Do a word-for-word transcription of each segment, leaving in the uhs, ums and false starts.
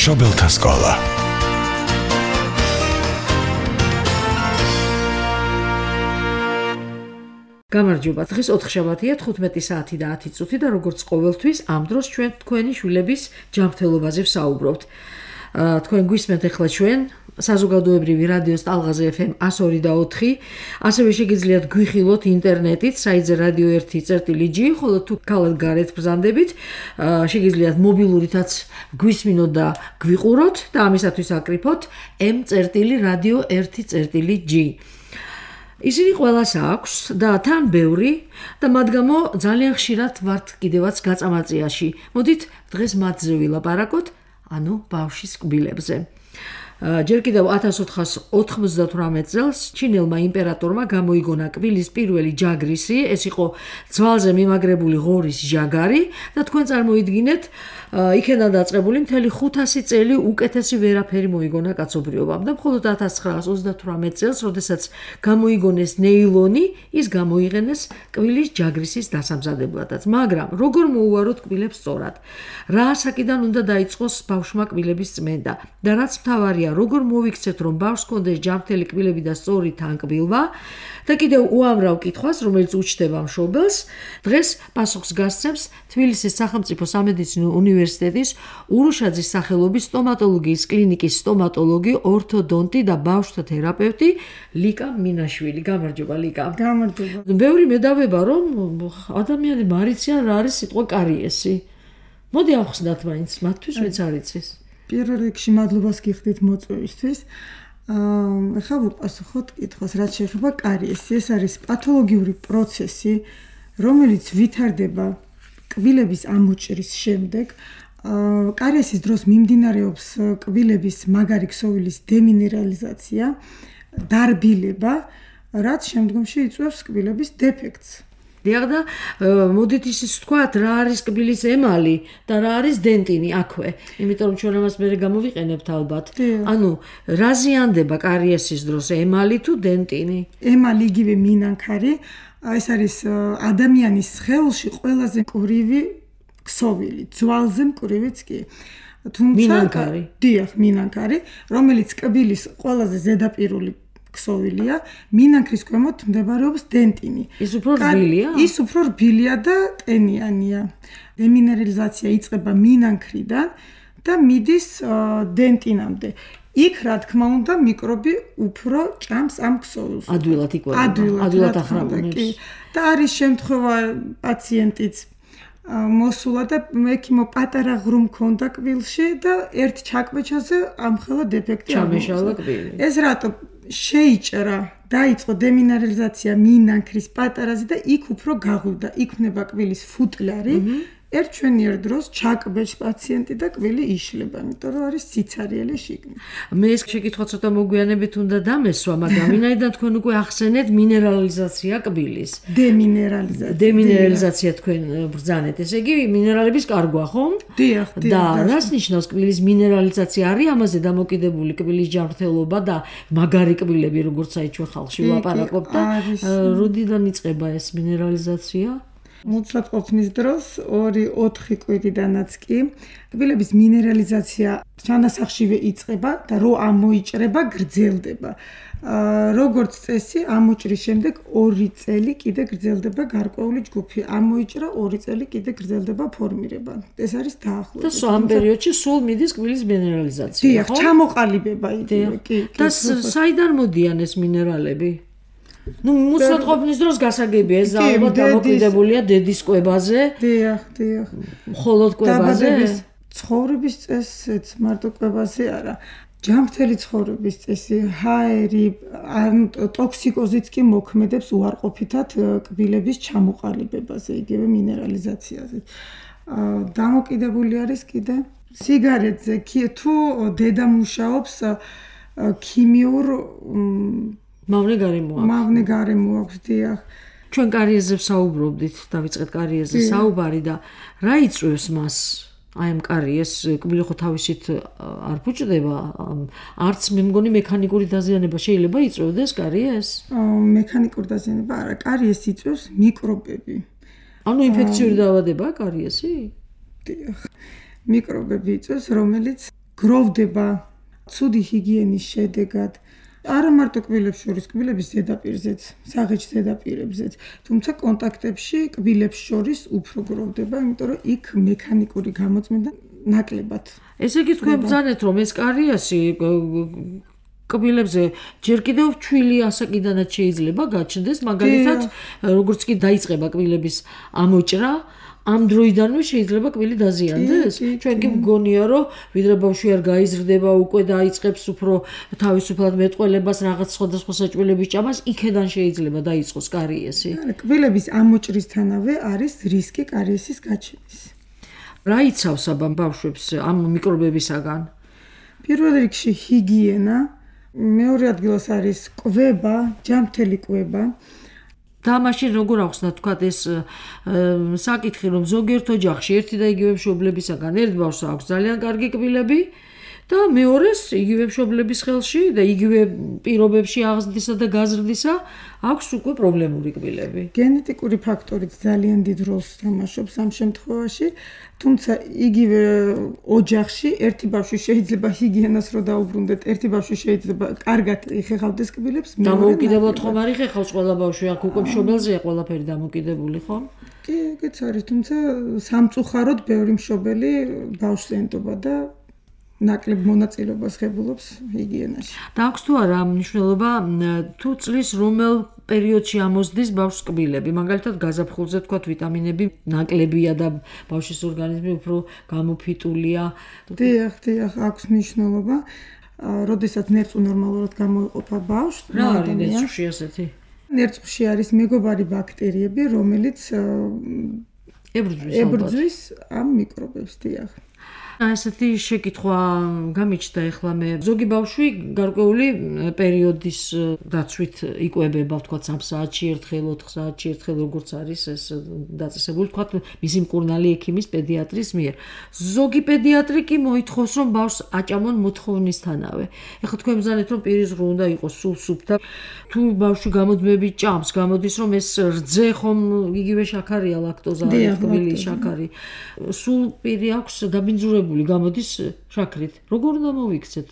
მშობელთა სკოლა. გამარჯობა, დღეს ოთხშაბათია, თხუთმეტი საათი და ათი წუთი და როგორც ყოველთვის ამ დროს ჩვენ თქვენი შვილების ჯანმრთელობაზე ვსაუბრობთ. თქვენ გვისმენთ ახლა ჩვენ საზოგადოებრივი რადიოს ტალღაზე ეფ ემ εκατო ორი და ოთხი, ასევე შეგიძლიათ გვიხილოთ ინტერნეტით საიტზე რადიო ერთი წერტილი ჯი, ხოლო თუ ქალად გარეთ ბრძანდებით, შეგიძლიათ მობილურითაც გვისმინოთ და გვიყუროთ და ამისათვის აკრიფოთ ემ წერტილი რადიო ერთი წერტილი ჯი. ისინი ყველას აქვს და თან ბევრი და მათ გამო ძალიან ხშირად ვართ კიდევაც გაწამაწიაში. მოდით დღეს მათზე ვილაპარაკოთ, ანუ ბავშვის კბილებზე. ჯერ კიდევ ათას ოთხასი ოთხმოცდათვრამეტ წელს ჩინელმა იმპერატორმა გამოიგონა კბილის პირველი ჯაგრისი, ეს იყო ძვალზე მიმაგრებული ღორის ჯაგარი და თქვენ წარმოიდგინეთ, იქიდან დაწყებული მთელი ხუთასი წელი უკეთესი ვერაფერი მოიგონა კაცობრიობამ და მხოლოდ ათას ცხრაას ოცდათვრამეტ წელს, როდესაც გამოიგონეს ნეილონი, ის გამოიყენეს კბილის ჯაგრისის დასამზადებლადაც. მაგრამ როგორ მოუვაროთ კბილებს სწორად? რა ასაკიდან უნდა დაიწყოს ბავშვმა კბილების წმენდა და რაც მთავარია, როგორ მოვიქცეთ, რომ ბავშვს ჰქონდეს ჯანმრთელი კბილები და სწორი თანკბილვა და კიდევ უამრავ კითხვას, რომელიც უჩნდება მშობელს, დღეს პასუხს გასცემს თბილისის სახელმწიფო სამედიცინო უნივერსიტეტის ურუშაძის სახელობის სტომატოლოგიის კლინიკის სტომატოლოგი, ორთოდონტი და ბავშვთა თერაპევტი ლიკა მინაშვილი. გამარჯობა ლიკა. გამარჯობა. ბევრი მედავება, რომ ადამიანები არიციან რა არის სიტყვა კარიესი. მოდი ავხსნათ მაინც მათთვის, ვინც არ იცის. პირველ რიგში მადლობას გიხდით მოწვევისთვის. ახლა ვუპასუხოთ კითხვას, რაც შეეხება კარიესი. ეს არის პათოლოგიური პროცესი, რომელიც ვითარდება კბილების ამოჭრის შემდეგ. კარიესის დროს მიმდინარეობს კბილების მაგარი ქსოვილის დემინერალიზაცია, დარბილება, რაც შემდგომში იწვევს კბილების დეფექტს. დიახ და მოდით ისიც ვთქვათ, რა არის კბილის ემალი და რა არის დენტინი აქვე, იმიტომ რომ ჩვენ ამას მერე გამოვიყენებთ ალბათ. ანუ რა ზიანდება კარიესის დროს, ემალი თუ დენტინი? ემალი იგივე მინანქარი, ეს არის ადამიანის სხეულში ყველაზე მკვრივი ქსოვილი, ძვალზე მკვრივიც კი. თუმცა მინანქარი. დიახ, მინანქარი, რომელიც კბილის ყველაზე ზედაპირული ქსოვილია, მინანქრის ქვემოთ მდებარეობს დენტინი. ის უფრო რბილია? ის უფრო რბილია და ტენიანია. დემინერალიზაცია იწყება მინანქრიდან და მიდის დენტინამდე. იქ რა თქმა უნდა მიკრობი უფრო ჭამს ამ ქსოვილს. ადვილად იკვებება, ადვილად ახრამონებს. და არის შემთხვევა პაციენტიც მოსულა და მექიმო პატარა ღრუ მქონდა კბილში და ერთ ჩაკბეჩაზე ამხელა დეფექტი ჩამეშალა კბილი. ეს რატო შეიჭრა, დაიწყო დემინერალიზაცია მინანქრის პატარაზე და იქ უფრო გაღვივდა, იქ ვნება კბილის ფუტლარი. ერთ ჩვენიერ დროს ჩაკბეჭ პაციენტი და კბილი იშლება, იმიტომ რომ არის სიცარიელე შიგნით. მე ეს შეკითხვა ცოტა მოგვიანებით უნდა დამესვა, მაგრამ ვინაიდან თქვენ უკვე ახსენეთ მინერალიზაცია კბილის. დემინერალიზაცია. დემინერალიზაცია თქვენ ბრძანეთ, ესე იგი მინერალების კარგვა, ხომ? დიახ, დიახ. და რას ნიშნავს კბილის მინერალიზაცია? არის ამაზე დამოკიდებული კბილის ჯანმრთელობა და მაგარი კბილები, როგორც აი ჩვენ ხალხში ვლაპარაკობთ და როდიდან იწყება ეს მინერალიზაცია? მოცლად ყოფნის დროს ორი ოთხი კვირიდანაც კი კბილების მინერალიზაცია ჩანასახშივე იწყება და რო ამოიჭრება, გრძელდება. როგორც წესი, ამოჭრის შემდეგ ორი წელი კიდე გრძელდება გარკვეული ჯგუფი. ამოიჭრა ორი წელი კიდე გრძელდება ფორმირება. ეს არის დაახლოებით. და ამ პერიოდში სულ მიდის კბილის მინერალიზაცია, ხო? დიახ, ჩამოყალიბება იდეა, კი. და საიდან მოდიან ეს მინერალები? ნუ მოცლად ყოფნის დროს გასაგებია, ეს ალბათ დამოკიდებულია დედის კვებაზე. დიახ, დიახ. მხოლოდ კვებაზე? ცხოვრების წესიც მარტო კვებაზე არა. ჯანმრთელი ცხოვრების წესი, ჰაერი, ან ტოქსიკოზიც კი მოქმედებს უარყოფითად კბილების ჩამოყალიბებაზე, იგივე მინერალიზაციაზე. დამოკიდებული არის კიდე სიგარეტზე, თუ დედა მუშაობს ქიმიურ მავნე გარემო აქვს. მავნე გარემო აქვს, დიახ. ჩვენ კარიესზე ვსაუბრობდით, დავიწყეთ კარიესზე საუბარი და რა იწვევს მას? აი ამ კარიეს კბილი ხო თავისით არ ფუჭდება, არც მე მგონი მექანიკური დაზიანება შეიძლება იწვევდეს კარიეს? მექანიკური დაზიანება არა, კარიეს იწვევს მიკრობები. ანუ ინფექციური დაავადებაა კარიესი? დიახ. მიკრობები იწვევს, რომელიც გროვდება ცუდი ჰიგიენის შედეგად. არა მარტო კბილებს შორის, კბილების ზედაპირზეც, საღეჯ ზედაპირებზეც, თუმცა კონტაქტებში კბილებს შორის უფრო გროვდება, იმიტომ რომ იქ მექანიკური გამოწმენდა ნაკლებად. ესე იგი თქვენ ბრძანეთ, რომ ეს კარიესი კბილებზე ჯერ კიდევ ჩვილი ასაკიდანაც შეიძლება გაჩნდეს, მაგალითად, როგორც კი დაიწყება კბილების ამოჭრა, ამ დროიდანვე შეიძლება კბილი დაზიანდეს. ჩვენ კი მგონია, რომ ვიდრე ბავშვი არ გაიზრდება, უკვე დაიწყებს უფრო თავისუფლად მეტყველებას, რაღაც სხვადასხვა საჭმელების ჭამას, იქედან შეიძლება დაიწყოს კარიესი. კბილების ამოჭრისთანავე არის რისკი კარიესის გაჩენის. რა იცავს აბა ბავშვებს ამ მიკრობებისაგან? პირველ რიგში ჰიგიენა, მეორე ადგილას არის კვება, ჯანმრთელი კვება. და მაშინ როგორ ახსნა თქვა ეს საკითხი, რომ ზოგიერთ ოჯახში ერთი და იგივე მშობლებისაგან ერთ ბავშვს აქვს ძალიან კარგი კბილები და მეორეს იგივე მშობლების ხელში და იგივე პირობებში აღზრდისა და გაზრდისა აქვს უკვე პრობლემური კბილები. გენეტიკური ფაქტორიც ძალიან დიდ როლს თამაშობს ამ შემთხვევაში, თუმცა იგივე ოჯახში ერთი ბავშვი შეიძლება ჰიგიენას რო დაუბრუნდეთ, ერთი ბავშვი შეიძლება კარგად იხეხავდეს კბილებს, მეორე დამოუკიდებლად ხომ არ იხეხავს ყველა ბავშვი, აქ უკვე მშობელზეა ყველაფერი დამოკიდებული, ხო? კი, ეგეც არის, თუმცა სამწუხაროდ ბევრი მშობელი ბავშვს ენტობა და ნაკლებ მონაწილეობას ღებულობს ჰიგიენაში. და აქვს თუ არა მნიშვნელობა თუ წლის რომელ პერიოდში ამოსდის ბავშვს კბილები, მაგალითად გაზაფხულზე თქვათ ვიტამინები ნაკლებია და ბავშვის ორგანიზმი უფრო გამოფიტულია. დიახ, დიახ, აქვს მნიშვნელობა. როდესაც ნერწყვი ნორმალურად გამოიყოფა ბავშვს, რა არის ნერწყვში ასეთი? ნერწყვში არის მეგობარი ბაქტერიები, რომელიც ებრძვის ამ მიკრობებს, დიახ. ასეთი შეკითხვა გამიჩნდა ეხლა მე. ზოგი ბავშვი გარკვეული პერიოდის დაცვით იკვებება, თქვა სამ საათში ერთხელ, ოთხ საათში ერთხელ, როგორც არის ეს დაწესებული, თქვა მისი მკურნალი ექიმის პედიატრის მიერ. ზოგი პედიატრი კი მოითხოვს, რომ ბავშვს აჭამონ მოთხოვნისთანავე. ეხლა თქვენ ბრძანეთ, რომ პირის ღრუ უნდა იყოს სულ სუფთა. თუ ბავშვი გამოდმები ჭამს, გამოდის, რომ ეს რძე ხომ იგივე შაქარია, ლაქტოზა, კბილი, შაქარი. სულ პირი აქვს დაბინძურებული გამოდის შაქრით. როგორ უნდა მოვიქცეთ?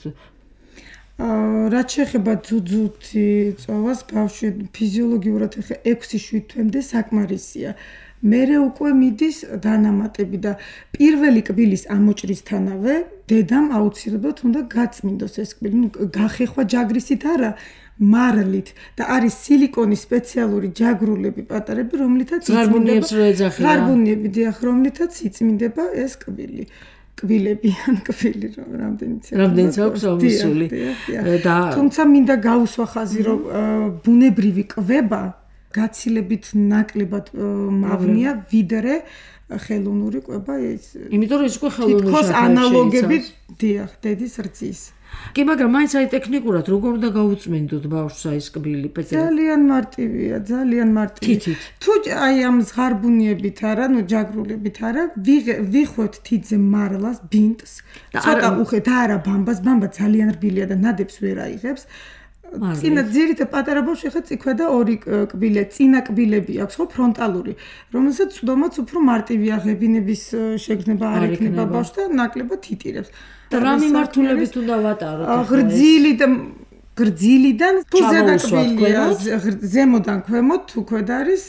აა რაც შეეხება ძუძუთი წოვას ბავშვი ფიზიოლოგიურად ახლა ექვსი შვიდ თვემდე საკმარისია. მერე უკვე მიდის დანამატები და პირველი კბილის ამოჭრისთანავე დედამ აუცილებლად უნდა გაწმინდოს ეს კბილი. ნუ გახეხვა ჯაგრისით არა, მარლით და არის სილიკონის სპეციალური ჯაგრულები პატარები, რომლითაც ღარბუნიებს რო ეძახიან. ღარბუნიები დიახ, რომლითაც იწმინდება ეს კბილი. კბილები ან კბილი რომ რამდენიც რამდენიც აქვს ამისული და თუმცა მინდა გაუსვა ხაზი რომ ბუნებრივი კვება გაცილებით ნაკლებად მავნია ვიდრე ხელოვნური კვება ის იმიტომ რომ ის უკვე ხელოვნური თითქოს ანალოგები დიახ დედის რძის კი მაგრამ მაინც აი ტექნიკურად როგორ უნდა გაუწმენდოთ ბავშვს აი ეს კბილი პეტრე ძალიან მარტივია ძალიან მარტივია თუ აი ამ ზღარბუნიებით არა ნუ ჯაგრულებით არა ვიხვევთ თითზე მარლას ბინტს ცოტა უხეთ არა ბამბას ბამბა ძალიან რბილია და ნადებს ვერ აიღებს წინა ძირითადად პატარა ბავშვი ხა წიქვე და ორი კბილე წინა კბილები აქვს ხო ფრონტალური რომელსაც წვდომაც უფრო მარტივია ღებინების შეგრძნება არ ექნება ბავშვს და ნაკლებად იტირებს და რა მიმართულებით უნდა ვატაროთ ღრძილი და გრძილიდან თუ ზედაკბილია ზემოდან ქვემოთ თუ ქვედ არის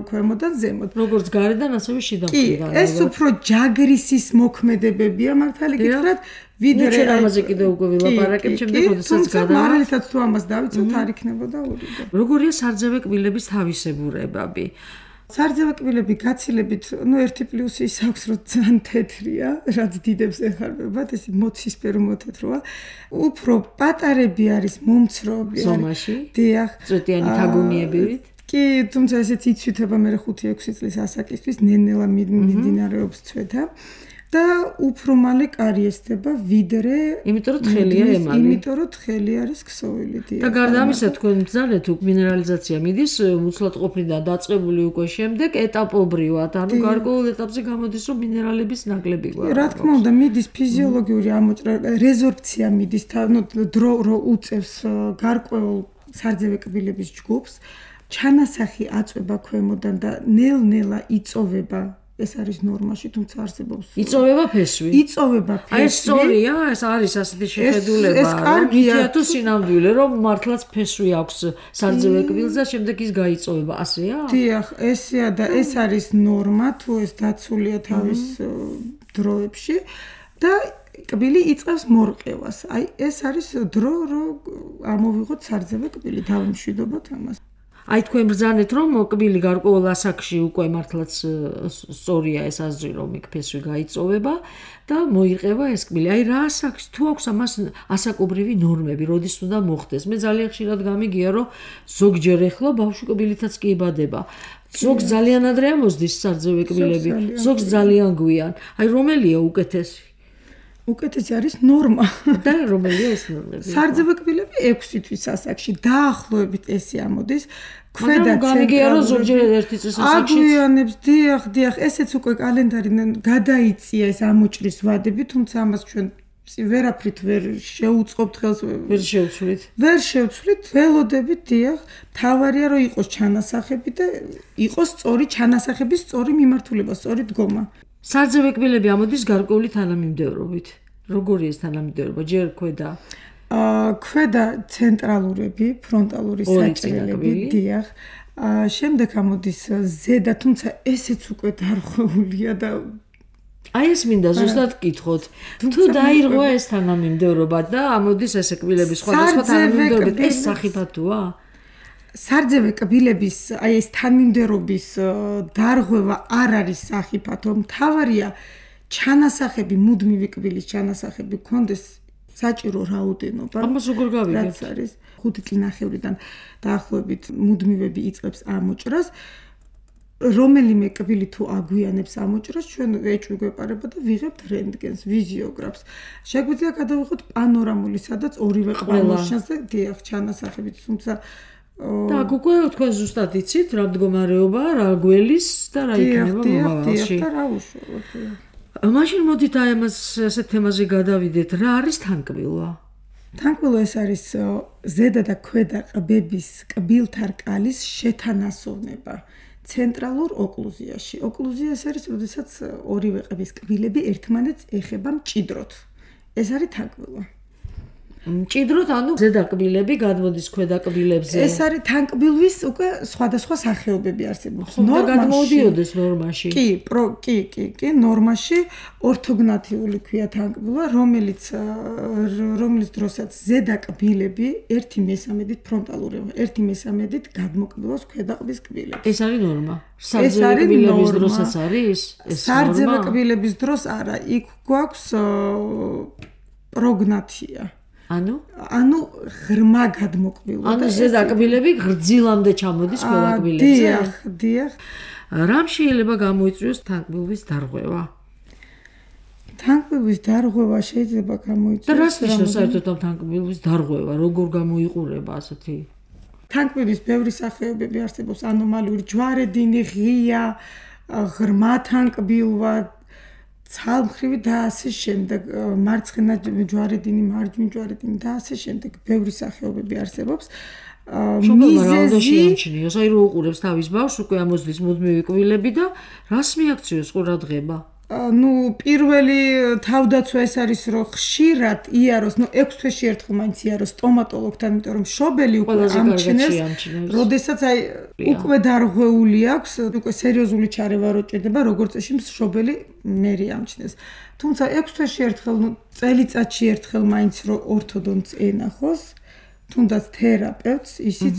ქვემოდან ზემოთ როგორც გარედან ასევე შიდა მხრიდან კი ეს უფრო ჯაგრისის მოქმედებებია მართალი გითხრათ ვიდრე ჩვენ ამაზე კიდევ უკვე ვილაპარაკებთ შემდეგ როდესაც გადა მარალითაც თუ ამას დავიცოთ არ იქნებოდა ორი როგორია სარძევე კბილების თავისებურებები სარძევე კბილები გაცილებით, ну ერთი პლუსი ის აქვს, რომ ძალიან თეთრია, რაც დიდებს ეხარბებათ, ეს მოცისფერო მოთეთროა. უფრო პატარები არის, მომცროები არის. ზომაში? დიახ. წვეტიანი თაგუნიებივით? კი, თუმცა ესეც იცვითება მე ხუთი ექვსი წლის ასაკისთვის, ნენელა მიმდინარეობს ცვეთა. და უფრო მალე კარიესდება ვიდრე იმიტომ რომ თხელია ემალი იმიტომ რომ თხელი არის ქსოვილი დიახ და გარდა ამისა თქვენ ბრძანეთ უკვე მინერალიზაცია მიდის უცლად ყოფნიდან დაწყებული უკვე შემდეგ ეტაპობრივად ანუ გარკვეულ ეტაპზე გამოდის რომ მინერალების ნაკლები გვაქვს რა თქმა უნდა მიდის ფიზიოლოგიური ამოჭრა რეზორბცია მიდის ну დრო რო უწევს გარკვეულ სარძევე კბილების ჯგუფს ჩანასახი აწვება ქვემოდან და ნელ-ნელა იწოვება ეს არის ნორმაში, თუმცა არსებობს იწოვება ფესვი. იწოვება ფესვი. აი ეს სწორია, ეს არის ასეთი შეხედულება, ეს კარგია თუ სინამდვილე, რომ მართლაც ფესვი აქვს სარძევე კბილს და შემდეგ ის გაიწოვება, ასეა? დიახ, ესეა და ეს არის ნორმა, თუ ეს დაცულია თავის დროებში და კბილი იწყებს მორყევას. აი ეს არის დრო, რომ ამოვიღოთ სარძევე კბილი, დავიმშვიდობოთ ამას. აი თქვენ ბრძანეთ რომ კბილი გარკვეულ ასაკში უკვე მართლაც სწორია ეს აზრი რომ იქ ფესვი გაიწოვება და მოიყება ეს კბილი. აი რა ასაკში თუ აქვს ამას ასაკობრივი ნორმები, როდის უნდა მოხდეს? მე ძალიან ხშირად გამიგია რომ ზოგჯერ ეხლა ბავშვი კბილითაც კი იბადება. ზოგ ძალიან ადრე ამოსდის სარძევე კბილები, ზოგ ძალიან გვიან. აი რომელია უკეთესი? უკეთესი არის ნორმა. და რომელია ეს ნორმები? სარძევე კბილები ექვსი თვის ასაკში დაახლოებით ესე ამოდის. ქვედა გამიგია რომ ზოგჯერ ერთი წლის ასაკში აგვიანებს, დიახ, დიახ, ესეც უკვე კალენდარი გადაიწია ეს ამოჭრის ვადები, თუმცა ამას ჩვენ ვერაფრით ვერ შეუწყობთ ხელს, ვერ შევცვლით. ვერ შევცვლით, ველოდებით, დიახ, თავარია რომ იყოს ჩანასახები და იყოს სწორი ჩანასახების სწორი მიმართულება, სწორი დგომა. სარძევე კბილები ამოდის გარკვეული თანამიმდევრობით. როგორი ეს თანამიმდევრობა? ჯერ ქვედა აა ქვედა ცენტრალურები, ფრონტალური საჭრელები, დიახ. აა შემდეგ ამოდის ზედა, თუმცა ესეც უკვე დარღვეულია და აი ეს მინდა ზუსტად გკითხოთ. თუ დაირღვა ეს თანამიმდევრობა და ამოდის ესე კბილები სხვადასხვა თანამიმდევრობით, ეს სახიფათოა? სარძევე კბილების აი ეს თანმიმდევრობის დარღვევა არ არის სახიფათო. მთავარია ჩანასახები, მუდმივი კბილის ჩანასახები გქონდეს საჭირო რაოდენობა. ამას როგორ გავიგებთ? რაც არის ხუთი წლინახევრიდან დაახლოებით მუდმივები იწყებს ამოჭრას. რომელიმე კბილი თუ აგვიანებს ამოჭრას, ჩვენ ეჭვი გვეპარება და ვიღებთ რენტგენს, ვიზიოგრაფს. შეგვიძლია გადავიღოთ პანორამული, სადაც ორივე ყვალოს და დიახ ჩანასახებით, თუმცა და უკვე თქვენ ზუსტად იცით რა მდგომარეობაა, რა გველის და რა იქნება მომავალში. და რა უშუალოდ. მაშინ მოდით აი ამას ასეთ თემაზე გადავიდეთ. რა არის თანკბილვა? თანკბილვა ეს არის ზედა და ქვედა ყბების კბილთა რკალის შეთანასოვნება ცენტრალურ ოკლუზიაში. ოკლუზია ეს არის, როდესაც ორივე ყბის კბილები ერთმანეთს ეხება მჭიდროდ. ეს არის თანკბილვა. მჭიდროდ, ანუ ზედა კბილები გადმოდის ქვედა კბილებზე. ეს არის თანკბილვის უკვე სხვადასხვა სახეობები არსებობს. ნორმაში გადმოდიოდეს ნორმაში. კი, პრო, კი, კი, კი, ნორმაში ორთოგნათიული ქვია თანკბილვა, რომელიც რომლის დროსაც ზედა კბილები ერთი მესამედით ფრონტალური, ერთი მესამედით გადმოკბილავს ქვედა ყბის კბილებს. ეს არის ნორმა. სარძევე კბილების დროსაც არის? ეს ნორმა? სარძევე კბილების დროს არა, იქ გვაქვს პროგნათია. ანუ ანუ ღრმა გადმოკბილვა. ანუ ზედა კბილები გრძილამდე ჩამოდის ყველა კბილებზე. დიახ, დიახ. რამ შეიძლება გამოიწვიოს თანკბილვის დარღვევა? თანკბილვის დარღვევა შეიძლება გამოიწვიოს. და რას ნიშნავს საერთოდ ამ თანკბილვის დარღვევა? როგორ გამოიყურება ასეთი? თანკბილვის ბევრი სახეობები არსებობს, ანომალიური ჯვარედინი, ღია, ღრმა თანკბილვა, ცალმხრივი და ასე შემდეგ, მარცხენა ჯვარედინი, მარჯვნივ ჯვარედინი და ასე შემდეგ, ბევრი სახეობები არსებობს. მიზეზი ამჩნიოს, აი რო უყურებს თავის ბავშვს, უკვე ამოსდის მუდმივი კბილები და რას მიაქციოს ყურადღება? ნუ პირველი თავდაცვა ეს არის რომ ხშირად იაროს, ნუ ექვს თვეში ერთხელ მაინც იაროს სტომატოლოგთან, იმიტომ რომ შობელი უკვე ამჩნევს, როდესაც აი უკვე დარღვეული აქვს, უკვე სერიოზული ჩარევა რო ჭირდება, როგორც წესი შობელი მერი ამჩნევს. თუმცა ექვს თვეში ერთხელ, ნუ წელიწადში ერთხელ მაინც რო ორთოდონტს ენახოს, თუნდაც თერაპევტს, ისიც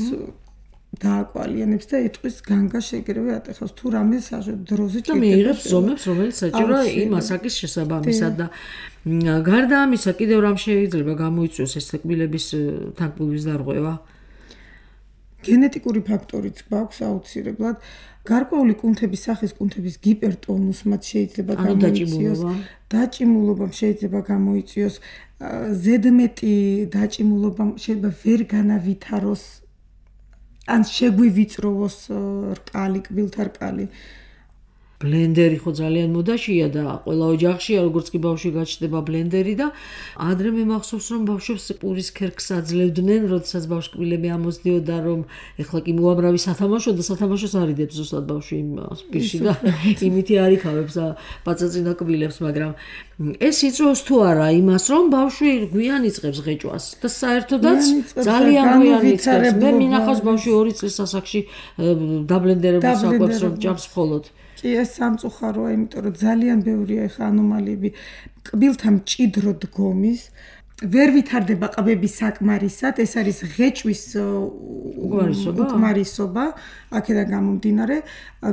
დააკვალიანებს და იტყვის განგა შეგრევე ატეხავს თუ რამე დროზე ჭირდება. და მიიღებს ზომებს, რომელიც საჭიროა იმ ასაკის შესაბამისად და გარდა ამისა კიდევ რამ შეიძლება გამოიწვიოს ეს კბილების თანკბილვის დარღვევა? გენეტიკური ფაქტორიც გვაქვს აუცილებლად. გარკვეული კუნთების სახის კუნთების გიპერტონუსმაც შეიძლება გამოიწვიოს. დაჭიმულობამ შეიძლება გამოიწვიოს. ზედმეტი დაჭიმულობამ შეიძლება ვერ განავითაროს ან შეგვივიწროვოს რკალი, კბილთა რკალი. ბლენდერი ხო ძალიან მოდაშია და ყველა ოჯახშია, როგორც კი ბავშვი გაჩნდება ბლენდერი და ადრე მე მახსოვს რომ ბავშვებს პურის ქერქს აძლევდნენ, როდესაც ბავშვკბილები ამოსდიოდა რომ ეხლა კი მოამრავი სათამაშო და სათამაშოს არიდებს ზუსტად ბავშვი პირში და იმითი არიქავებს ბაწაწინა კბილებს, მაგრამ ეს იწვევს თუ არა იმას რომ ბავშვი გვიან იწყებს ღეჭვას და საერთოდაც ძალიან გვიან იწყებს. მე მინახავს ბავშვი ორი წლის ასაკში დაბლენდერებულს აკვებს რომ ჭამს მხოლოდ. კი ეს სამწუხაროა, იმიტომ რომ ძალიან ბევრია ეხა ანომალიები კბილთა მჭიდრო დგომის, ვერ ვითარდება ყბები საკმარისად, ეს არის ღეჭვის უკმარისობა, აქედან გამომდინარე,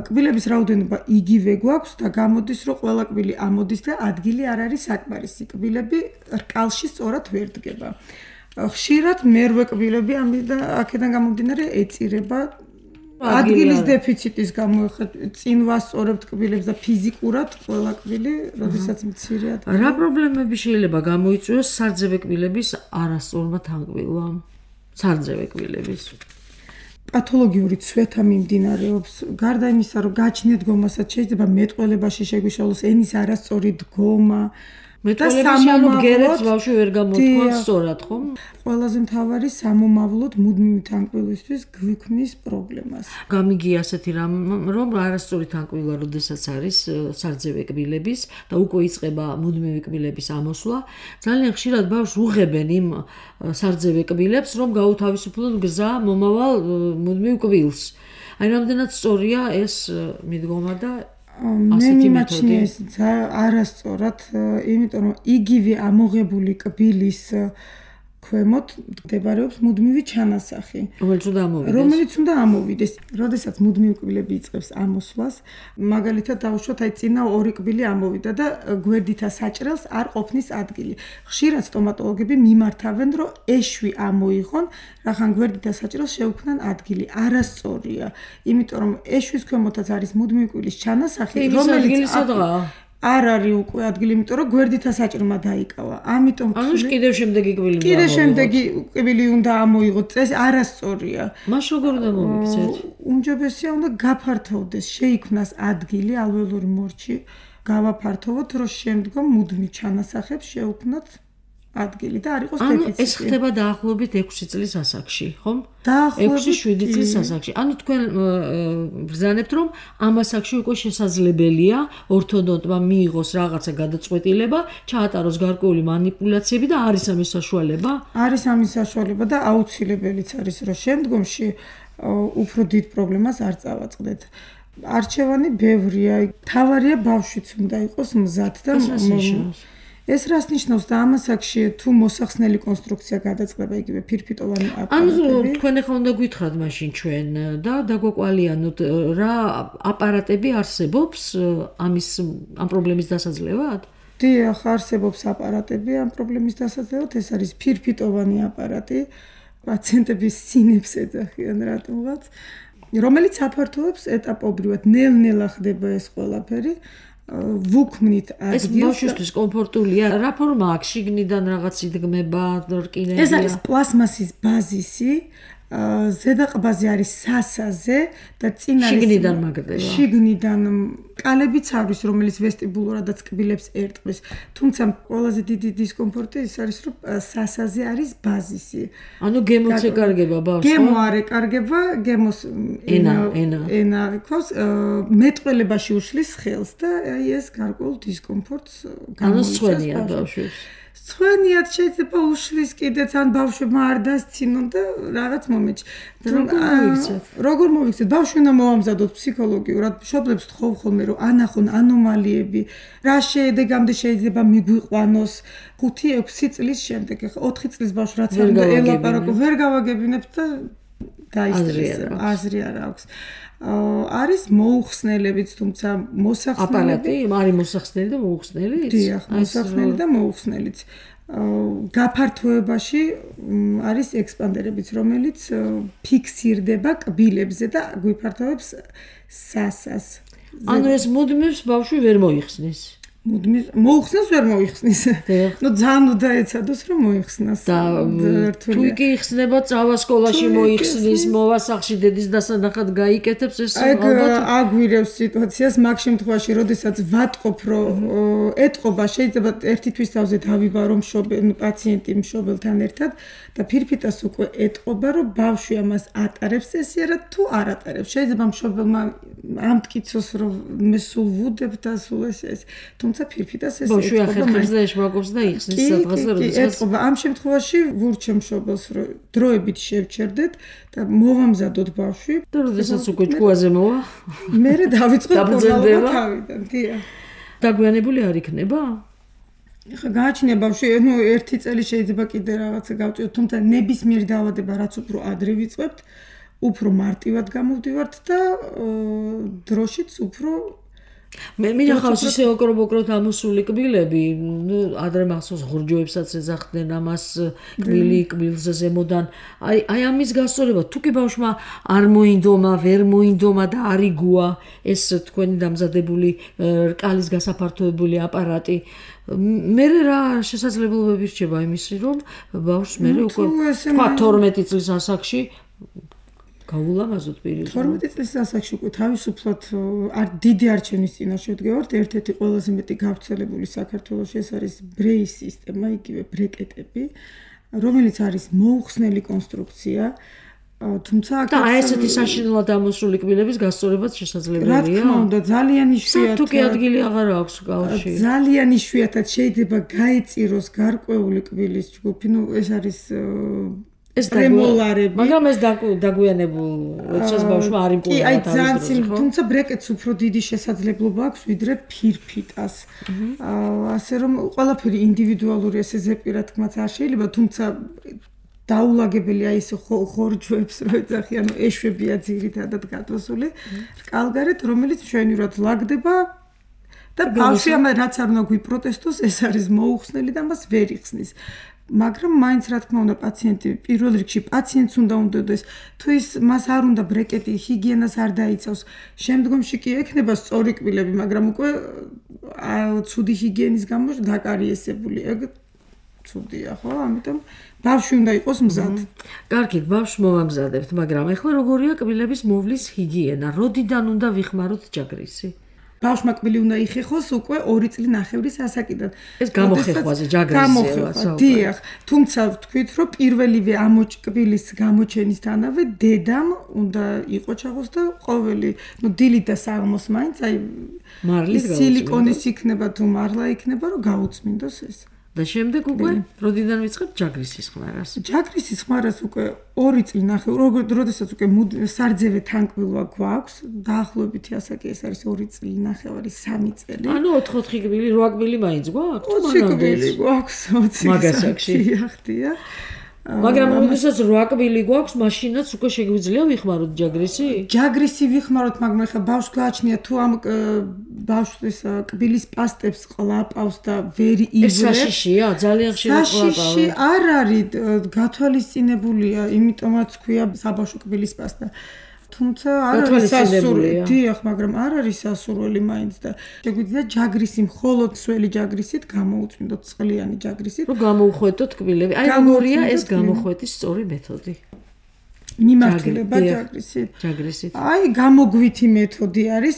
კბილების რაოდენობა იგივე გვაქვს და გამოდის რომ ყველა კბილი ამოდის და ადგილი არ არის საკმარისი. კბილები რკალში სწორად ვერ დგება. ხშირად მერვე კბილები ამიდან აქედან გამომდინარე ეწირება ადგილის დეფიციტის გამო წინ ვასწორებთ კბილებს და ფიზიკურად ყველა კბილი, როდესაც მცირე ადგილი. რა პრობლემები შეიძლება გამოიწვიოს სარძევე კბილების არასწორმა თანკბილვამ? სარძევე კბილების პათოლოგიური ცვეთა მიმდინარეობს. გარდა იმისა, რომ გაჩნია დგომასაც შეიძლება მეტყველებაში შეგვიშალოს ენის არასწორი დგომა. მეტყველებაში ანუ ბგერებს ბავშვი ვერ გამოთქვას სწორად, ხო? ყველაზე მთავარი სამომავლოდ მუდმივი თანკბილისთვის გვიქმნის პრობლემას. გამიგია ასეთი რამ რომ არასწორი თანკბილვა როდესაც არის სარძევე კბილების და უკვე იწყება მუდმივი კბილების ამოსვლა, ძალიან ხშირად ბავშვს უღებენ იმ სარძევე კბილებს, რომ გაუთავისუფლონ გზა მომავალ მუდმივ კბილს. აი რამდენად სწორია ეს მიდგომა და მე მიმაჩნია ეს არასწორად, იმიტომ რომ იგივე ამოღებული კბილის ქვემოთ მდებარეობს მუდმივი ჩანასახი, რომელიც უნდა ამოვიდეს. რომელიც უნდა ამოვიდეს. როდესაც მუდმივი კბილები იწყებს ამოსვლას, მაგალითად დავუშვათ, აი წინა ორი კბილი ამოვიდა და გვერდითა საჭრელს არ ყოფნის ადგილი. ხშირად სტომატოლოგები მიმართავენ, რომ ეშვი ამოიღონ, რახან გვერდითა საჭრელს შეუქმნან ადგილი. არასწორია, იმიტომ რომ ეშვის ქვემოთაც არის მუდმივი კბილის ჩანასახი, რომელიც არ არის უკვე ადგილი, იმიტომ რომ გვერდითა საჭრელმა დაიკავა. ამიტომ ანუ კიდევ შემდეგი კბილი უნდა კიდევ შემდეგი კბილი უნდა ამოიღოთ. ეს არასწორია. მას როგორ უნდა მოვიქცეთ? უმჯობესია უნდა გაფართოვდეს, შეიქმნას ადგილი ალვეოლური მორჩი, გავაფართოვოთ, რომ შემდგომ მუდმივ ჩანასახებს შეუქმნათ ადგილი და არ იყოს დეფიციტი. ანუ ეს ხდება დაახლოებით ექვსი წლის ასაკში, ხომ? დაახლოებით ექვსი შვიდი წლის ასაკში. ანუ თქვენ ბრძანებთ, რომ ამ ასაკში უკვე შესაძლებელია ორთოდონტმა მიიღოს რაღაცა გადაწყვეტილება, ჩაატაროს გარკვეული მანიპულაციები და არის ამის საშუალება? არის ამის საშუალება და აუცილებელიც არის, რომ შემდგომში უფრო დიდ პრობლემას არ წავაწყდეთ. არჩევანი ბევრია. თავარია ბავშვიც უნდა იყოს მზად და ეს რას ნიშნავს და ამ ასაკში თუ მოსახსნელი კონსტრუქცია გადაწყდება იგივე ფირფიტოვანი აპარატები. ანუ თქვენ ახლა უნდა გითხრათ მაშინ ჩვენ და დაგვაყვალიანოთ რა აპარატები არსებობს ამის ამ პრობლემის დასაძლევად? დიახ, არსებობს აპარატები ამ პრობლემის დასაძლევად. ეს არის ფირფიტოვანი აპარატი, პაციენტების სინებს ეძახიან რატომღაც, რომელიც აფართოვებს ეტაპობრივად, ნელ-ნელა ხდება ეს ყველაფერი. ვუქმნით ადგილს. ეს ბავშვისთვის კომფორტულია. რა ფორმა აქვს? შიგნიდან რაღაც იდგმება, რკინებია. ეს არის პლასმასის ბაზისი, ზედა ყბაზე არის სასაზე და წინ არის შიგნიდან მაგდება. შიგნიდან კალებიც არის, რომელიც ვესტიბულურადაც კბილებს ერტყმის. თუმცა ყველაზე დიდი დისკომფორტი ის არის, რომ სასაზე არის ბაზისი. ანუ გემოც ეკარგება ბავშვს. გემო არ ეკარგება, გემოს ენა, ენა. ენა ყავს, მეტყველებაში უშლის ხელს და აი ეს გარკვეულ დისკომფორტს გამოიწვევს. ანუ სვენია ბავშვს. სვენიათ შეიძლება უშლის კიდეც ან ბავშვებმა არ დასცინონ და რაღაც მომენტში. როგორ მოვიქცეთ? ბავშვი უნდა მოამზადოთ ფსიქოლოგიურად, მშობლებს თხოვ ხოლმე რომ ანახონ ანომალიები, რა შედეგამდე შეიძლება მიგვიყვანოს ხუთი ექვსი წლის შემდეგ. ახლა ოთხი წლის ბავშვს რაც არ უნდა ელაპარაკო, ვერ გავაგებინებთ და დაისტრესება. აზრი არ აქვს. არის მოუხსნელებიც, თუმცა მოსახსნელები არის მოსახსნელი და მოუხსნელი? დიახ, მოსახსნელი და მოუხსნელიც. გაფართოებაში არის ექსპანდერებიც, რომელიც ფიქსირდება კბილებზე და გვიფართოვებს სასას. ანუ ეს მუდმივს ბავშვი ვერ მოიხსნის. მუდმივ მოუხსნას ვერ მოიხსნის. ნუ ძალიან უნდა ეცადოს რომ მოიხსნას. და თუ იგი იხსნება წავა სკოლაში მოიხსნის, მოვა სახლში დედის დასანახად გაიკეთებს ეს ალბათ აგვირევს სიტუაციას მაგ შემთხვევაში, როდესაც ვატყობ რომ ეტყობა შეიძლება ერთი თვის თავზე დავიბარო მშობელ პაციენტი მშობელთან ერთად და ფირფიტას უკვე ეტყობა რომ ბავშვი ამას ატარებს ესიარად თუ არ ატარებს. შეიძლება მშობელმა ამტკიცოს რომ მე სულ ვუდებ და სულ ეს ეს თუმცა ფირფიტას ეს ბავშვი ახერხებს და ეშმაკობს და იხსნის სადღაც როდესაც ეტყობა. ამ შემთხვევაში ვურჩემ მშობელს რომ დროებით შევჩერდეთ და მოვამზადოთ ბავშვი და როდესაც უკვე ჭკუაზე მოვა მე დავიწყებ პორტალობა თავიდან. დიახ. დაგვიანებული არ იქნება? ხა გააჩნია ბავშვი, ნუ ერთი წელი შეიძლება კიდე რაღაცა გავწიოთ, თუმცა ნებისმიერი დაავადება რაც უფრო ადრე ვიწყებთ, უფრო მარტივად გამოვდივართ და დროშიც უფრო მე მინახავს ისე ოკრობ-ოკროთ ამოსული კბილები, ნუ ადრე მახსოვს ღურჯოებსაც ეძახდნენ ამას კბილი კბილზე ზემოდან. აი აი ამის გასწორება, თუ კი ბავშვმა არ მოინდომა, ვერ მოინდომა და არ იგუა ეს თქვენი დამზადებული რკალის გასაფართოებული აპარატი, მე რა შესაძლებლობები რჩება იმისი, რომ ბავშვს მე უკვე თქვა თორმეტი წლის ასაკში გაულამაზოთ პირი. თორმეტი წლის ასაკში უკვე თავისუფლად არ დიდი არჩევნის წინაშე ვდგევართ. ერთ-ერთი ყველაზე მეტი გავრცელებული საქართველოში ეს არის ბრეის სისტემა, იგივე ბრეკეტები, რომელიც არის მოუხსნელი კონსტრუქცია. თუმცა და აი ესეთი საშინელად ამოსული კბილების გასწორებაც შესაძლებელია. რა თქმა უნდა, ძალიან იშვიათად. თუ კი ადგილი აღარ აქვს კალში. ძალიან იშვიათად შეიძლება გაეწიროს გარკვეული კბილის ჯგუფი, ნუ ეს არის ეს პრემოლარები, მაგრამ ეს დაგვიანებულ როდესაც ბავშვმა არ იმპულსა კი, აი ძალიან, თუმცა ბრეკეტს უფრო დიდი შესაძლებლობა აქვს ვიდრე ფირფიტას. ასე რომ ყველაფერი ინდივიდუალურია, ესე ზეპირა თქმაც არ შეიძლება, თუმცა დაულაგებელია ის ხორჯვებს რო ეძახი, ანუ ეშვებია ძირითადად გადასული რკალგარეთ, რომელიც ჩვენივრად ლაგდება და ბავშვი ამ რაც არ უნდა გვიპროტესტოს, ეს არის მოუხსნელი და მას ვერ იხსნის. მაგრამ მაინც რა თქმა უნდა პაციენტი პირველ რიგში პაციენტს უნდა უნდადეს, თუ ის მას არ უნდა ბრეკეტი, ჰიგიენას არ დაიცავს, შემდგომში კი ექნება სწორი კბილები, მაგრამ უკვე ცუდი ჰიგიენის გამო დაკარიესებული, ეგ ცუდია, ხო? ამიტომ ბავშვი უნდა იყოს მზად. კარგით, ბავშვს მოვამზადებთ, მაგრამ ეხლა როგორია კბილების მოვლის ჰიგიენა? როდიდან უნდა ვიხმაროთ ჯაგრისი? ბავშვმა კბილი უნდა იხეხოს უკვე ორი წლის ნახევრის ასაკიდან. ეს გამოხეხვაზე ჯაგრისია, დიახ. თუმცა ვთქვით, რომ პირველივე ამ კბილის გამოჩენისთანავე დედამ უნდა იყოს ჩაღოს და ყოველი, ნუ დილით და საღამოს მაინც აი მარლის სილიკონის იქნება თუ მარლა იქნება, რომ გაუწმინდოს ეს. და შემდეგ უკვე როდიდან ვიწყებთ ჯაგრისის ხმარას? ჯაგრისის ხმარას უკვე ორი წელი ნახევარი, როგორც როდესაც უკვე სარძევე თანკბილვა გვაქვს, დაახლოებით ასაკი ეს არის ორი წელი ნახევარი, სამი წელი. ანუ ოთხ-ოთხი კბილი, რვა კბილი მაინც გვაქვს? ოცი კბილი გვაქვს, ოცი. მაგასაკში. ხდია. მაგრამ როდესაც რვა კბილი გვაქვს, მაშინაც უკვე შეგვიძლია ვიხმაროთ ჯაგრისი? ჯაგრისი ვიხმაროთ, მაგრამ ეხლა ბავშვს გააჩნია თუ ამ ბავშვის კბილის პასტებს ყლაპავს და ვერ იღებს. ეს საშიშია, ძალიან ხშირად ყლაპავს. საშიში არ არის გათვალისწინებულია, იმიტომაც ქვია საბავშვო კბილის პასტა. თუმცა არ არის სასურველი, დიახ, მაგრამ არ არის სასურველი მაინც და შეგვიძლია ჯაგრისი, მხოლოდ სველი ჯაგრისით გამოუწმინდოთ, წყლიანი ჯაგრისით. რომ გამოუხვეთოთ კბილები. აი როგორია ეს გამოხვეთის სწორი მეთოდი? მიმართულება ჯაგრისით. ჯაგრისით. აი გამოგვითი მეთოდი არის.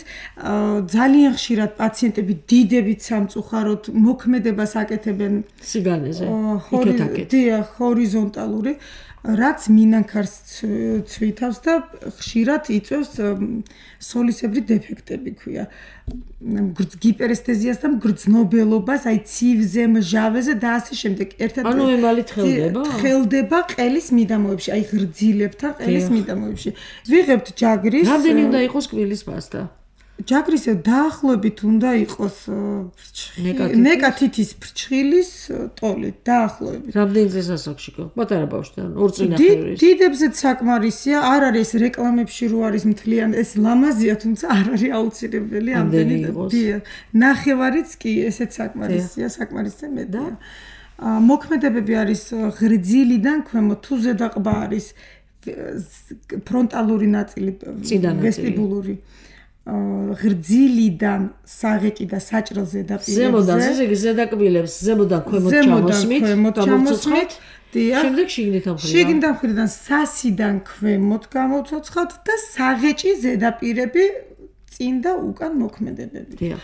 ძალიან ხშირად პაციენტები დიდებით სამწუხაროდ მოქმედებას აკეთებენ სიგანეზე. იქეთ-აქეთ. დიახ, ჰორიზონტალური. რაც მინანქარს ცვითავს და ხშირად იწვევს სოლისებრი დეფექტები ქვია. გიპერესთეზიას და მგრძნობელობას, აი ცივზე, მჟავეზე და ასე შემდეგ. ერთად ანუ ემალი თხელდება? თხელდება ყელის მიდამოებში, აი ღრძილებთან ყელის მიდამოებში. ვიღებთ ჯაგრის. რამდენი უნდა იყოს კბილის პასტა? ჯაგრისე დაახლოებით უნდა იყოს ნეკათითის ფრჩხილის ტოლით, დაახლოებით. რამდენი წლის ასაკში ხო? პატარა ბავშვთან, ორ წლის ნახევრის. დიდებზეც საკმარისია, არ არის რეკლამებში რო არის მთლიან, ეს ლამაზია, თუმცა არ არის აუცილებელი ამდენი. დიახ. ნახევარიც კი ესეც საკმარისია, საკმარისზე მეტია. მოქმედებები არის ღრძილიდან ქვემოთ, თუ ზედაყბა არის ფრონტალური ნაწილი, ვესტიბულური. ღრძილიდან საღეჭი და საჭრელ ზედაპირებზე. ზემოდან ესე ზედაკბილებს ზემოდან ქვემოთ ჩამოსმით, გამოვცოცხლით. შემდეგ შიგნით ამხრივ. შიგნით ამხრივიდან სასიდან ქვემოთ გამოვცოცხლთ და საღეჭი ზედაპირები წინ და უკან მოქმედებები. დიახ.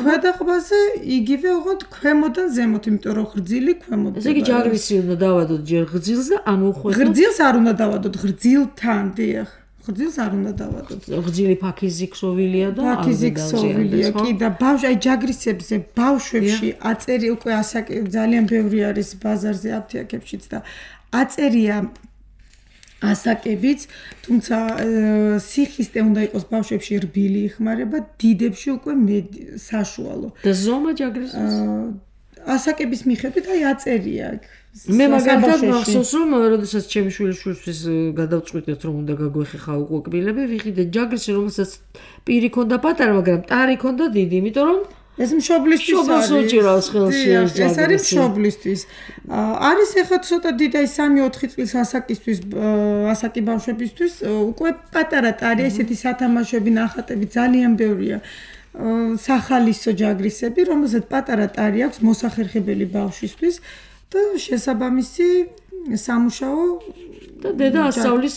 ქვედაყბაზე იგივე უღოთ ქვემოდან ზემოთ, იმიტომ რომ ღრძილი ქვემოთ. ესე იგი ჯაგრისი უნდა დავადოთ ჯერ ღრძილს და ანუ ხვეთო. ღრძილს არ უნდა დავადოთ, ღრძილთან, დიახ. ღრძილს არ უნდა დავადოთ. ღრძილი ფაქიზი ქსოვილია და ფაქიზი ქსოვილია კი და ბავშვი აი ჯაგრისებზე ბავშვებში აწერი უკვე ასაკი ძალიან ბევრი არის ბაზარზე აფთიაქებშიც და აწერია ასაკებიც, თუმცა სიხისტე უნდა იყოს ბავშვებში რბილი იხმარება, დიდებში უკვე საშუალო. და ზომა ჯაგრისის ასაკების მიხედვით აი აწერია აქ. მე მაგალითად მახსოვს რომ როდესაც ჩემი შვილიშვილისთვის გადავწყვიტეთ რომ უნდა გაგვეხეხა უკვე კბილები, ვიყიდე ჯაგრისი რომელსაც პირი ქონდა პატარა, მაგრამ ტარი ქონდა დიდი, იმიტომ რომ ეს მშობლისთვის არის. უჭირავს ხელში ეს ჯაგრისი. ეს არის მშობლისთვის. არის ახლა ცოტა დიდი აი სამი ოთხი წლის ასაკისთვის, ასაკი ბავშვებისთვის უკვე პატარა ტარი, ესეთი სათამაშოები, ნახატები ძალიან ბევრია. სახალისო ჯაგრისები, რომელსაც პატარა ტარი აქვს მოსახერხებელი ბავშვისთვის და შესაბამისი სამუშაო და დედა ასწავლის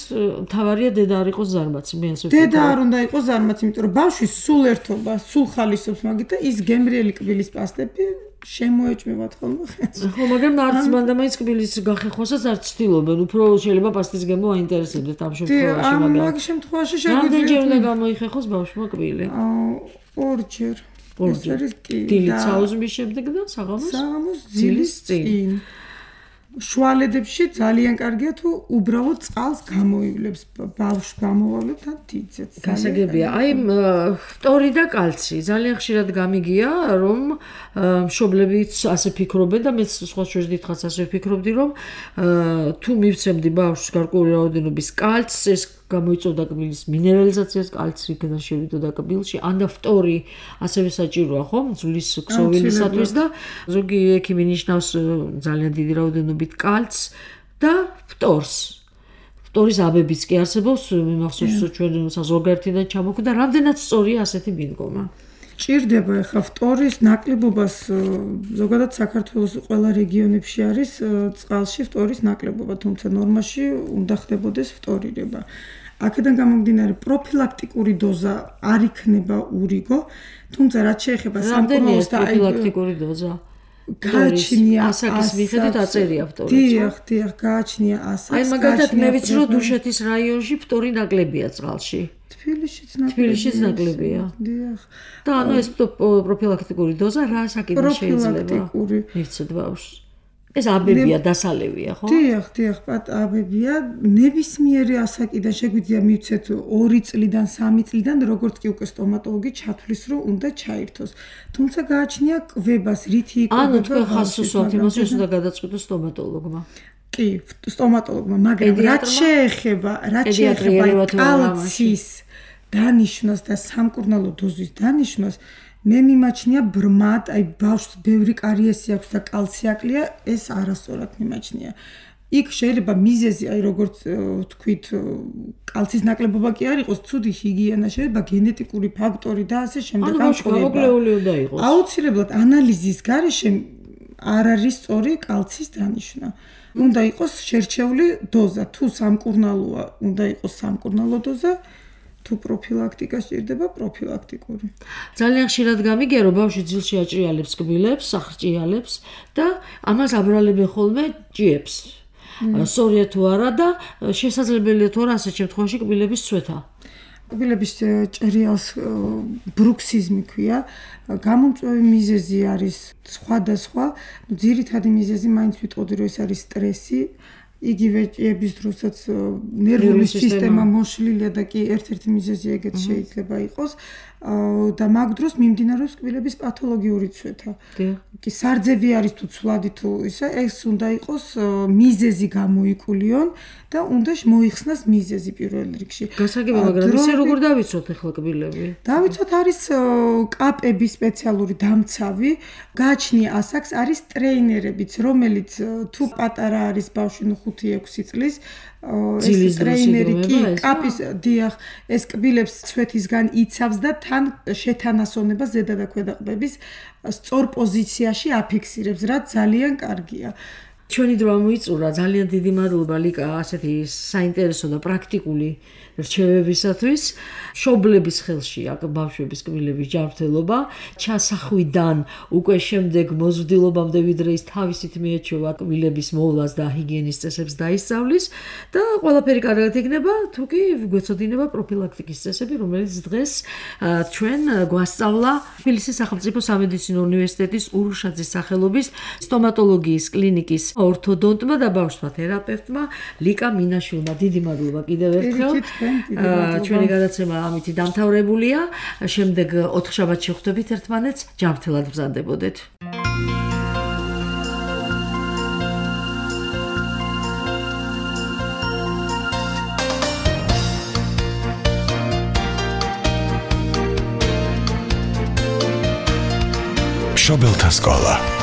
თავარია დედა არ იყოს ზარმაცი, მე ასე ვფიქრობ. დედა არ უნდა იყოს ზარმაცი, იმიტომ რომ ბავშვი სულ ერთობა, სულ ხალისობს მაგით და ის გემრიელი კბილის პასტები შემოეჭმევათ ხოლმე ხელს. ხო, მაგრამ არც მანდა მაინც კბილის გახეხვასაც არ ცდილობენ, უფრო შეიძლება პასტის გემო აინტერესებდეთ ამ შემთხვევაში, მაგრამ ამ შემთხვევაში შეგვიძლია რამდენჯერ უნდა გამოიხეხოს ბავშვმა კბილი? ორჯერ. ორჯერ. დილით საუზმის შემდეგ და საღამოს? საღამოს ძილის წინ. შუალედებში ძალიან კარგია თუ უბრალოდ წყალს გამოივლებს ბავშვს გამოვავლებ და დიდძეც. გასაგებია. აი ფტორი და კალცი ძალიან ხშირად გამიგია რომ მშობლებიც ასე ფიქრობენ და მეც სხვა შორის დიდხანს ასე ვფიქრობდი რომ თუ მივცემდი ბავშვს გარკვეული რაოდენობის კალცს ეს გამოიწვევდა კბილის მინერალიზაციას, კალცი იქნა შევიდოდა კბილში, ან და ფტორი ასევე საჭიროა, ხო? ძვლის ქსოვილისათვის და ზოგი ექიმი ნიშნავს ძალიან დიდი რაოდენობით კალცს და ფტორს. ფტორის აბებიც კი არსებობს, მე მახსოვს ჩვენ საზღვარგარეთიდან ჩამოხვდა, რამდენად სწორია ასეთი მიდგომა. ჭირდება ახლა ფტორის ნაკლებობას ზოგადად საქართველოს ყველა რეგიონებში არის წყალში ფტორის ნაკლებობა, თუმცა ნორმაში უნდა ხდებოდეს ფტორირება. აქედან გამომდინარე პროფილაქტიკური დოზა არ იქნება ურიგო, თუმცა რაც შეეხება სამკურნალოს და პროფილაქტიკური დოზა გააჩნია ასაკის მიხედვით აწერია ფტორი. დიახ, დიახ, გააჩნია ასაკს. აი მაგალითად მე ვიცი რომ დუშეთის რაიონში ფტორი ნაკლებია წყალში. თბილისშიც ნაკლებია. თბილისშიც ნაკლებია. დიახ. და ანუ ეს პროფილაქტიკური დოზა რა საკითხი შეიძლება? მიცეთ ბავშვს. ეს აბებია, დასალევია, ხო? დიახ, დიახ, აბებია, ნებისმიერი ასაკიდან შეგვიძლია მივცეთ ორი წლიდან, სამი წლიდან, როგორც კი უკვე სტომატოლოგი ჩათვლის, რომ უნდა ჩაირთოს. თუმცა გააჩნია კვებას, რითი იკვება. ანუ თქვენ ხაზს უსვამთ იმას, რომ უნდა გადაწყვიტოს სტომატოლოგმა. კი, სტომატოლოგმა, მაგრამ რაც შეეხება, რაც შეეხება კალცის დანიშნვას და სამკურნალო დოზის დანიშნვას, მე მიმაჩნია ბრმად, აი ბავშვს ბევრი კარიესი აქვს და კალცი აკლია, ეს არასწორად მიმაჩნია. იქ შეიძლება მიზეზი, აი როგორც თქვით, კალცის ნაკლებობა კი არ იყოს, ცუდი ჰიგიენა, შეიძლება გენეტიკური ფაქტორი და ასე შემდეგ. ანუ გამოგლეული უნდა იყოს. აუცილებლად ანალიზის გარეშე არ არის სწორი კალცის დანიშნა. უნდა იყოს შერჩეული დოზა, თუ სამკურნალოა, უნდა იყოს სამკურნალო დოზა. თუ პროფილაქტიკა სჭირდება პროფილაქტიკური. ძალიან ხშირად გამიგია რომ ბავშვი ძილში აჭრიალებს კბილებს, აღჭრიალებს და ამას აბრალებენ ხოლმე ჭიებს. სწორია თუ არა და შესაძლებელია თუ არა ასეთ შემთხვევაში კბილების წვეთა. კბილების ჭრიალს ბრუქსიზმი ქვია. გამომწვევი მიზეზი არის სხვადასხვა. ძირითადი მიზეზი მაინც ვიტყოდი რომ ეს არის სტრესი. იგივე ჭიების დროსაც ნერვული სისტემა მოშლილია და კი ერთ-ერთი მიზეზი ეგეც შეიძლება იყოს და მაგ დროს მიმდინარეობს კბილების პათოლოგიური წვეთა. კი სარძევი არის თუ ცვლადი თუ ისა, ეს უნდა იყოს მიზეზი გამოიკულიონ და უნდა მოიხსნას მიზეზი პირველ რიგში. გასაგებია, მაგრამ ისე როგორ დავიცოთ ახლა კბილები? დავიცოთ არის კაპები სპეციალური დამცავი, გააჩნია ასაკს, არის ტრეინერებიც, რომელიც თუ პატარა არის ბავშვი, ნუ ხუთ ხუთი ექვსი წლის ეს ტრეინერი კი კაპის დიახ ეს კბილებს ცვეთისგან იცავს და თან შეთანასწორებას ზედა და ქვედა ყბების სწორ პოზიციაში აფიქსირებს, რაც ძალიან კარგია. ჩვენი დრო მოიწურა ძალიან დიდი მადლობა ლიკა ასეთი საინტერესო და პრაქტიკული რჩევებისათვის. შობლების ხელში აქ ბავშვების კბილების ჯანმრთელობა ჩასახვიდან უკვე შემდეგ მოზრდილობამდე ვიდრე ის თავისით მიეჩვევა კბილების მოვლას და ჰიგიენის წესებს დაისწავლის და ყველაფერი კარგად იქნება თუ კი გვეცოდინება პროფილაქტიკის წესები რომელიც დღეს ჩვენ გვასწავლა თბილისის სახელმწიფო სამედიცინო უნივერსიტეტის ურუშაძის სახელობის სტომატოლოგიის კლინიკის ორთოდონტმა და ბავშვთა თერაპევტმა ლიკა მინაშვილმა. დიდი მადლობა კიდევ ერთხელ. ჩვენი გადაცემა ამითი დამთავრებულია. შემდეგ ოთხშაბათს შევხვდებით ერთმანეთს. ჯანმრთელად ბრძანდებოდეთ. მშობელთა სკოლა